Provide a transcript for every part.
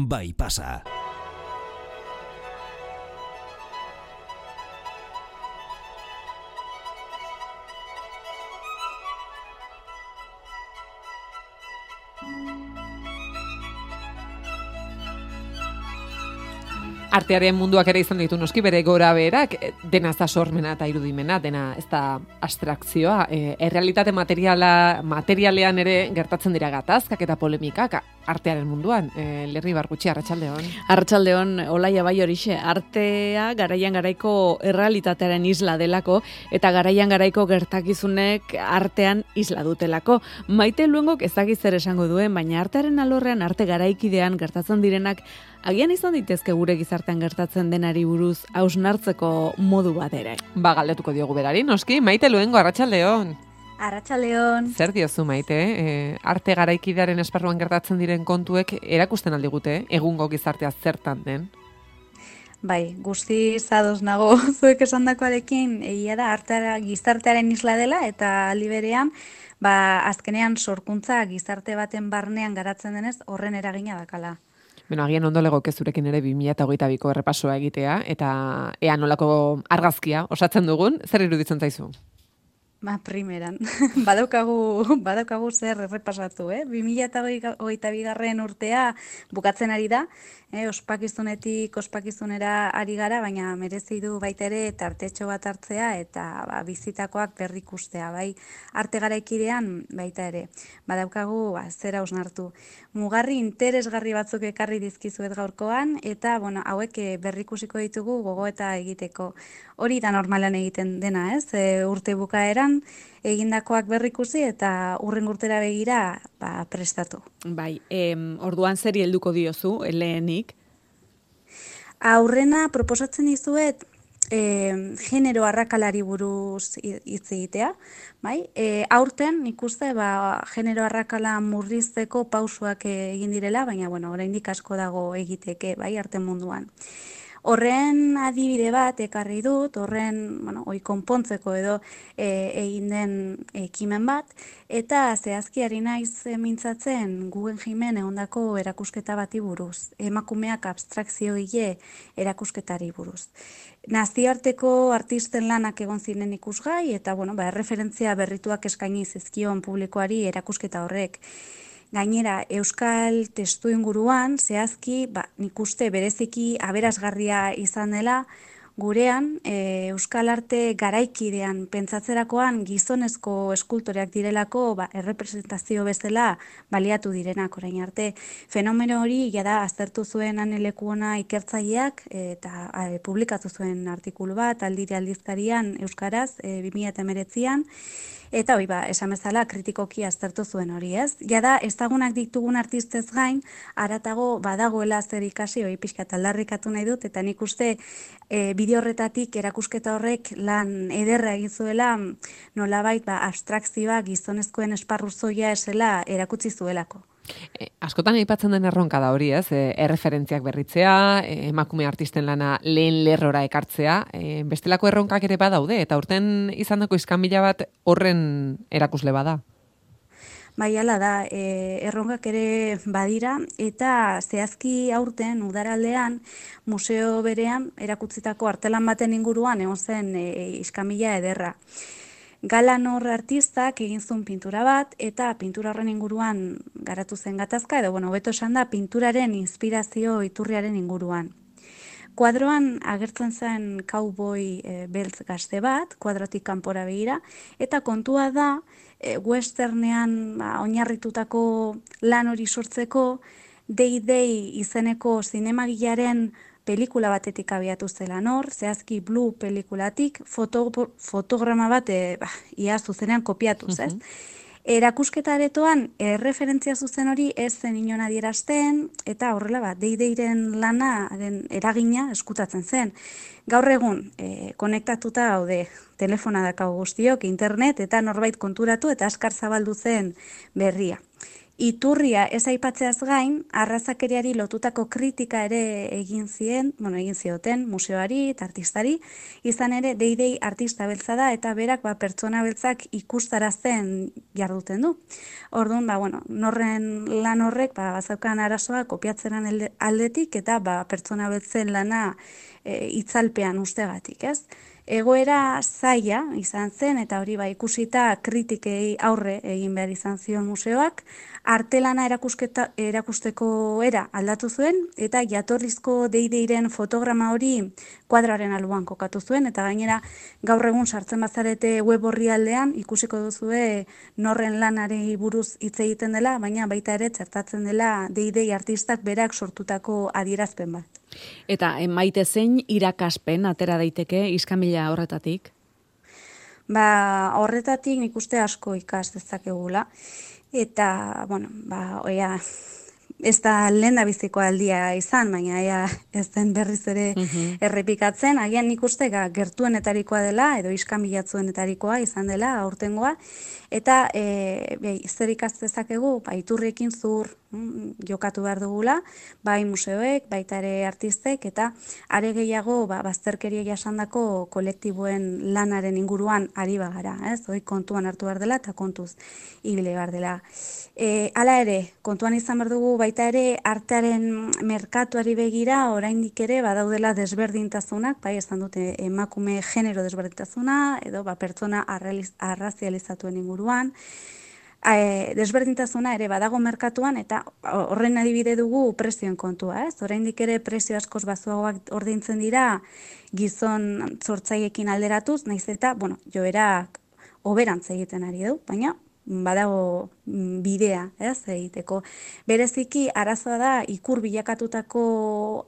bai pasa. Artearen munduak ere izan ditu noski bere gora beherak, dena ez da sormena eta irudimena, dena ez da abstrakzioa. Errealitate materialean ere gertatzen dira gatazkak eta polemikak artearen munduan. Lerri Bargutxi, arratsaldeon. Arratsaldeon, Olaia bai horixe, artea garaian garaiko errealitatearen isla delako eta garaian garaiko gertakizunek artean isla dutelako. Maite Luengok ez dakit zer esango duen, baina artearen alorrean, arte garaikidean gertatzen direnak agian izan ditezke gure gizartean gertatzen denari buruz hausnartzeko modu bat ere. Galdetuko diogu berari, noski, Maite Luengo, arratsaldeon. Arratsaldeon. Zer diozu, Maite? Arte garaikidearen esparruan gertatzen diren kontuek erakusten aldigute, egungo gizartea zertan den? Bai, guzti zadoz nago zuek esandakoarekin, egia da artea gizartearen isla dela eta aldi berean, azkenean sorkuntza gizarte baten barnean garatzen denez horren eragina dakala. Agian ondo legoke zurekin ere 2022ko errepasoa egitea, eta ea nolako argazkia osatzen dugun, zer iruditzen zaizu? Primeran, badaukagu zer errepasatu, 2022 urtea bukatzen ari da, ospakizunetik ospakizunera ari gara, baina merezi du baita ere tartetxo bat hartzea eta bizitakoak berrikustea, bai arte garaikidean baita ere. Badaukagu zer hausnartu. Mugarri interesgarri batzuk ekarri dizkizuet gaurkoan, eta hauek berrikusiko ditugu gogoeta egiteko. Hori da normalan egiten dena, urte bukaeran egindakoak berrikusi eta hurrengo urtera begira prestatu. Bai, orduan zeri helduko diozu lehenik? Aurrena proposatzen dizuet genero arrakalari buruz hitz egitea, bai? Aurten nik uste genero arrakala murrizteko pausoak egin direla, baina oraindik asko dago egiteke, bai, arte munduan. Horren adibide bat ekarri dut, hori konpontzeko edo egin den ekimen bat, eta zehazki ari naiz mintzatzen Guggenheimen egondako erakusketa bati buruz, emakumeak abstrakziogile erakusketari buruz. Nazioarteko artisten lanak egon ziren ikusgai, eta erreferentzia berrituak eskaini zizkion publikoari erakusketa horrek. Gainera, euskal testu inguruan, zehazki, nik uste bereziki aberasgarria izan dela, gurean, euskal arte garaikidean pentsatzerakoan gizonezko eskultoreak direlako errepresentazio bezala baliatu direnak orain arte. Fenomeno hori jada aztertu zuen Ane Lekuona ikertzaileak eta publikatu zuen artikulu bat Aldire aldizkarian euskaraz 2019an. Eta esan bezala kritikoki aztertu zuen hori, ez? Jada, ezagunak ditugun artistez gain, haratago badagoela zer ikasi, hori pixkat aldarrikatu nahi dut, eta nik uste bideo horretatik erakusketa horrek lan ederra egin zuela, nolabait abstrakzioa gizonezkoen esparru zoia esela erakutsi zuelako. Askotan aipatzen den erronka da hori, ez? Erreferentziak berritzea, emakume artisten lana lehen lerrora ekartzea, bestelako erronkak ere badaude, eta urten izandako iskanbila bat horren erakusle bada. Bai, hala da, erronkak ere badira, eta zehazki aurten udaraldean museo berean erakutsitako artelan baten inguruan egon zen iskanbila ederra. Galanor artistak egin zuen pintura bat, eta pintura horren inguruan garatu zen gatazka, edo hobeto esan da pinturaren inspirazio iturriaren inguruan. Kuadroan agertzen zen cowboy beltz gazte bat, kuadrotik kanpora begira, eta kontua da westernean oinarritutako lan hori sortzeko Day izeneko zinemagilaren pelikula batetik abiatu zela nor, zehazki Blue pelikulatik fotograma bat ia zuzenean kopiatuz, ez? Erakusketa aretoan erreferentzia zuzen hori ez zen inon adierazten, eta horrela Day-Dayren lanaren eragina eskutatzen zen. Gaur egun, konektatuta gaude, telefona dakau guztiok, internet, eta norbait konturatu eta askar zabaldu zen berria. Iturria ez aipatzeaz gain, arrazakeriari lotutako kritika ere egin zioten museoari eta artistari, izan ere Deidei artista beltza da eta berak pertsona beltzak ikustarazten jarduten du. Orduan, norren lan horrek bazaukan arazoa kopiatzeran aldetik eta pertsona beltzen lana itzalpean ustegatik, ez? Egoera zaila izan zen eta hori ikusita kritikei aurre egin behar izan zion museoak, artelana erakusteko era aldatu zuen eta jatorrizko Deideiren fotograma hori kuadraren alboan kokatu zuen eta gainera gaur egun sartzen bazarete web orrialdean ikusiko duzue norren lanari buruz hitz egiten dela, baina baita ere txertatzen dela Deidei artistak berak sortutako adierazpen bat. Eta Maite zein irakaspen atera daiteke iskanbila horretatik? Horretatik nik uste asko ikas dezakegula. Eta, ez da lehen da biziko aldia izan, baina ez den berriz ere errepikatzen. Agian nik uste gertuenetarikoa dela, edo iskanbilatzuenetarikoa izan dela, aurtengoa. Eta zer ikas dezakegu, iturriekin zur jokatu behar dugula, bai museoek, baita ere artistek, eta are gehiago bazterkeria jasandako kolektiboen lanaren inguruan ari bagara, ez? Hoi kontuan hartu behar dela eta kontuz ibile behar dela. Hala ere, kontuan izan behar dugu baita ere artearen merkatuari begira oraindik ere badaudela desberdintasunak, bai esan dute emakume genero desberdintasuna, edo pertsona arrazializatuen inguruan, desberdintasuna ere badago merkatuan eta horren adibide dugu prezioen kontua, ez? Oraindik ere prezio askoz baxuagoak ordaintzen dira gizon sortzaileekin alderatuz, naiz eta, joerak hoberantz egiten ari du, baina badago bidea, ez, egiteko. Bereziki arazoa da ikur bilakatutako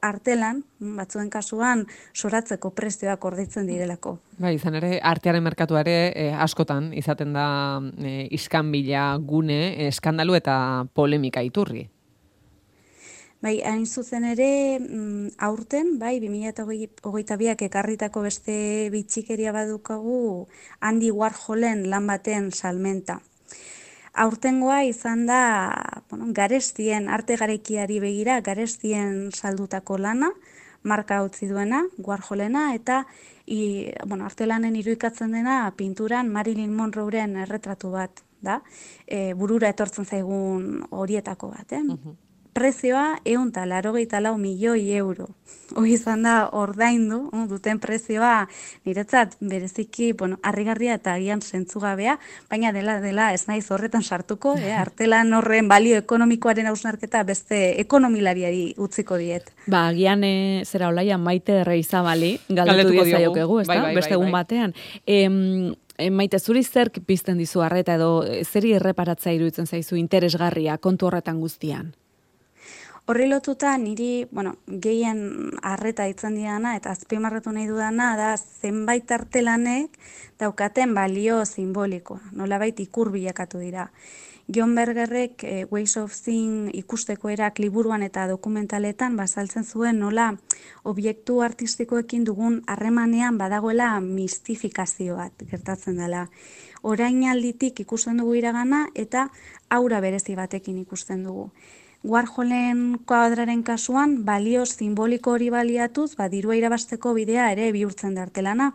artelan, batzuen kasuan soratzeko prezioak ordaintzen direlako. Izan ere, artearen merkatua ere askotan izaten da iskanbila gune, eskandalu eta polemika iturri. Hain zuzen ere, aurten, 2022ak ekarritako beste bitxikeria badukagu Andy Warholen lan baten salmenta. Aurtengoa izan da, garestien, arte garaikiari begira, garestien saldutako lana, marka utzi duena, Warholena, eta artelanen irudikatzen dena pinturan Marilyn Monroeren erretratu bat, da, burura etortzen zaigun horietako bat, Prezioa 184 milioi euro. Hoi izan da ordaindu duten prezioa niretzat bereziki harrigarria eta agian zentzugabea, baina dela ez naiz horretan sartuko, artelan horren balio ekonomikoaren hausnarketa beste ekonomilariari utziko diet. Agian zera Olaia Maite Erreizabali galdetu diezaiokegu, ezta? Beste egun batean. Maite, zuri zerk pizten dizu arreta edo zeri erreparatzea iruditzen zaizu interesgarria kontu horretan guztian? Horri lotuta niri, gehien arreta itzen didana eta azpimarratu nahi dudana da zenbait artelanek daukaten balio simbolikoa, nolabait ikur bilakatu dira. John Bergerrek Ways of Seeing ikusteko erak liburuan eta dokumentaletan bazaltzen zuen nola objektu artistikoekin dugun harremanean badagoela mistifikazio bat gertatzen dela. Orainalditik ikusten dugu iragana eta aura berezi batekin ikusten dugu. Warholen kuadraren kasuan, balio simboliko hori baliatuz, dirua irabasteko bidea ere bihurtzen da artelana.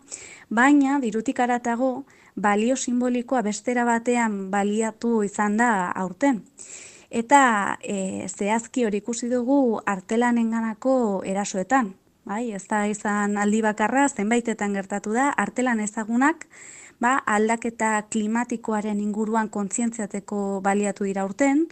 Baina, dirutik haratago, balio simbolikoa bestera batean baliatu izan da aurten. Eta zehazki hori ikusi dugu artelanenganako erasoetan. Ez da izan aldi bakarra, zenbaitetan gertatu da, artelan ezagunak, aldaketa klimatikoaren inguruan kontzientziateko baliatu dira aurten,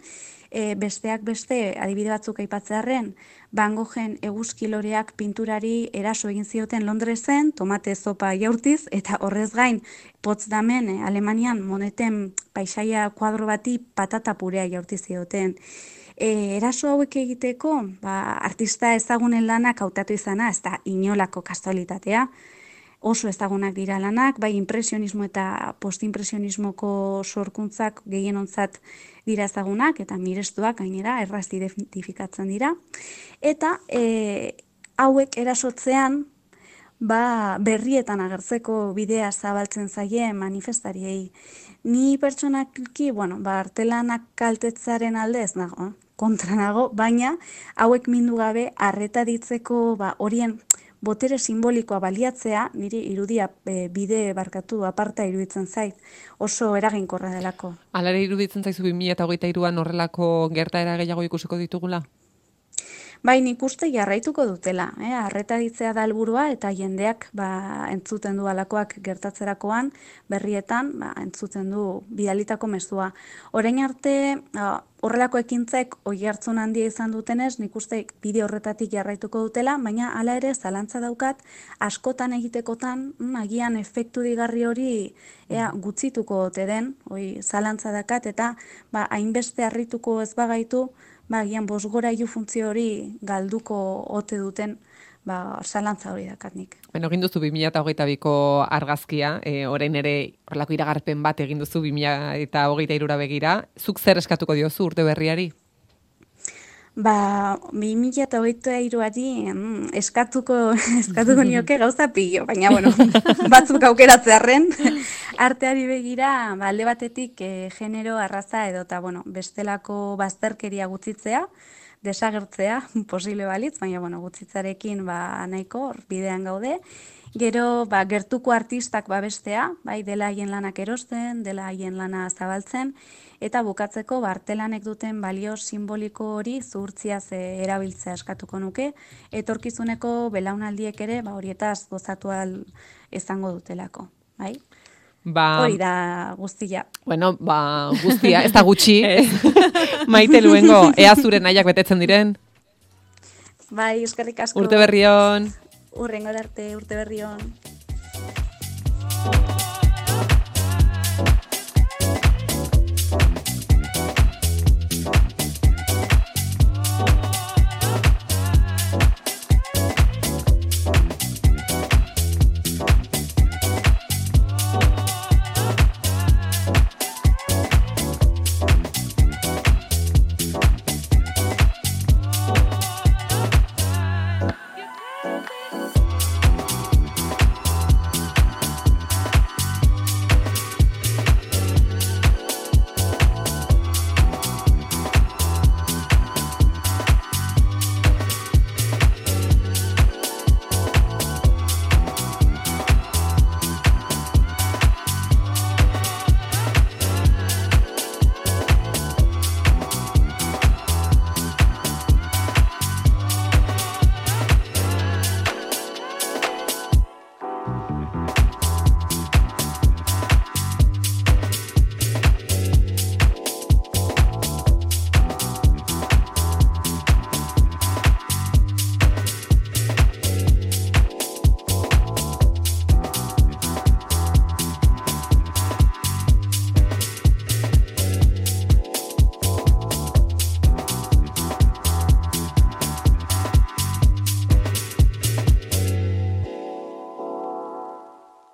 besteak beste, adibide batzuk aipatzearren, Van Goghen eguzkiloreak pinturari eraso egin zioten Londresen, tomate zopa jaurtiz, eta horrez gain, Potsdamen, Alemanian, Moneten paisaia kuadro bati patata purea jaurtiz zioten. Eraso hauek egiteko, artista ezagunen lanak hautatu izana, ez da inolako kasualitatea, oso ezagunak dira lanak, bai impresionismo eta postimpresionismoko sorkuntzak gehienontzat dira ezagunak, eta mirestuak gainera erraz identifikatzen dira. Eta hauek erasotzean berrietan agertzeko bidea zabaltzen zaie manifestariei. Ni pertsonalki, artelanak kaltetzaren alde ez nago, kontra nago, baina hauek mindu gabe arreta ditzeko horien botere simbolikoa baliatzea, niri irudia bide barkatu aparta iruditzen zait, oso eraginkorra delako. Alare iruditzen zaizu 2023an horrelako gertaera gehiago ikusiko ditugula? Bai, nik uste jarraituko dutela, arreta ditzea da helburua eta jendeak entzuten du alakoak gertatzerakoan, berrietan entzuten du bidalitako mezua. Orain arte horrelako ekintzek oihartzun handia izan dutenez, nik uste bide horretatik jarraituko dutela, baina hala ere zalantza daukat askotan egitekotan agian efektu digarri hori gutzituko ote den, zalantza dakat eta hainbeste harrituko ez bagaitu, agian bosgorailu funtzio hori galduko ote duten, zalantza hori dakat nik. Egin duzu 2022ko argazkia, orain ere horrelako iragarpen bat egin duzu 2023ra begira. Zuk zer eskatuko diozu urte berriari? 2023ari eskatuko nioke gauza pilo, baina batzuk aukeratzearren arteari begira, alde batetik genero, arraza edota bestelako bazterkeria gutzitzea, desagertzea posible balitz, baina gutzitzarekin nahiko bidean gaude. Gero gertuko artistak babestea, dela haien lanak erosten, dela haien lana zabaltzen, eta bukatzeko artelanek duten balio simboliko hori zuhurtziaz erabiltzea eskatuko nuke, etorkizuneko belaunaldiek ere horietaz gozatu ahal izango dutelako, bai? Hori da guztia. Guztia, ez da gutxi. Maite Luengo, ea zure nahiak betetzen diren? Bai, eskerrik asko. Urte berri on. Urrengo arte, urte berri on.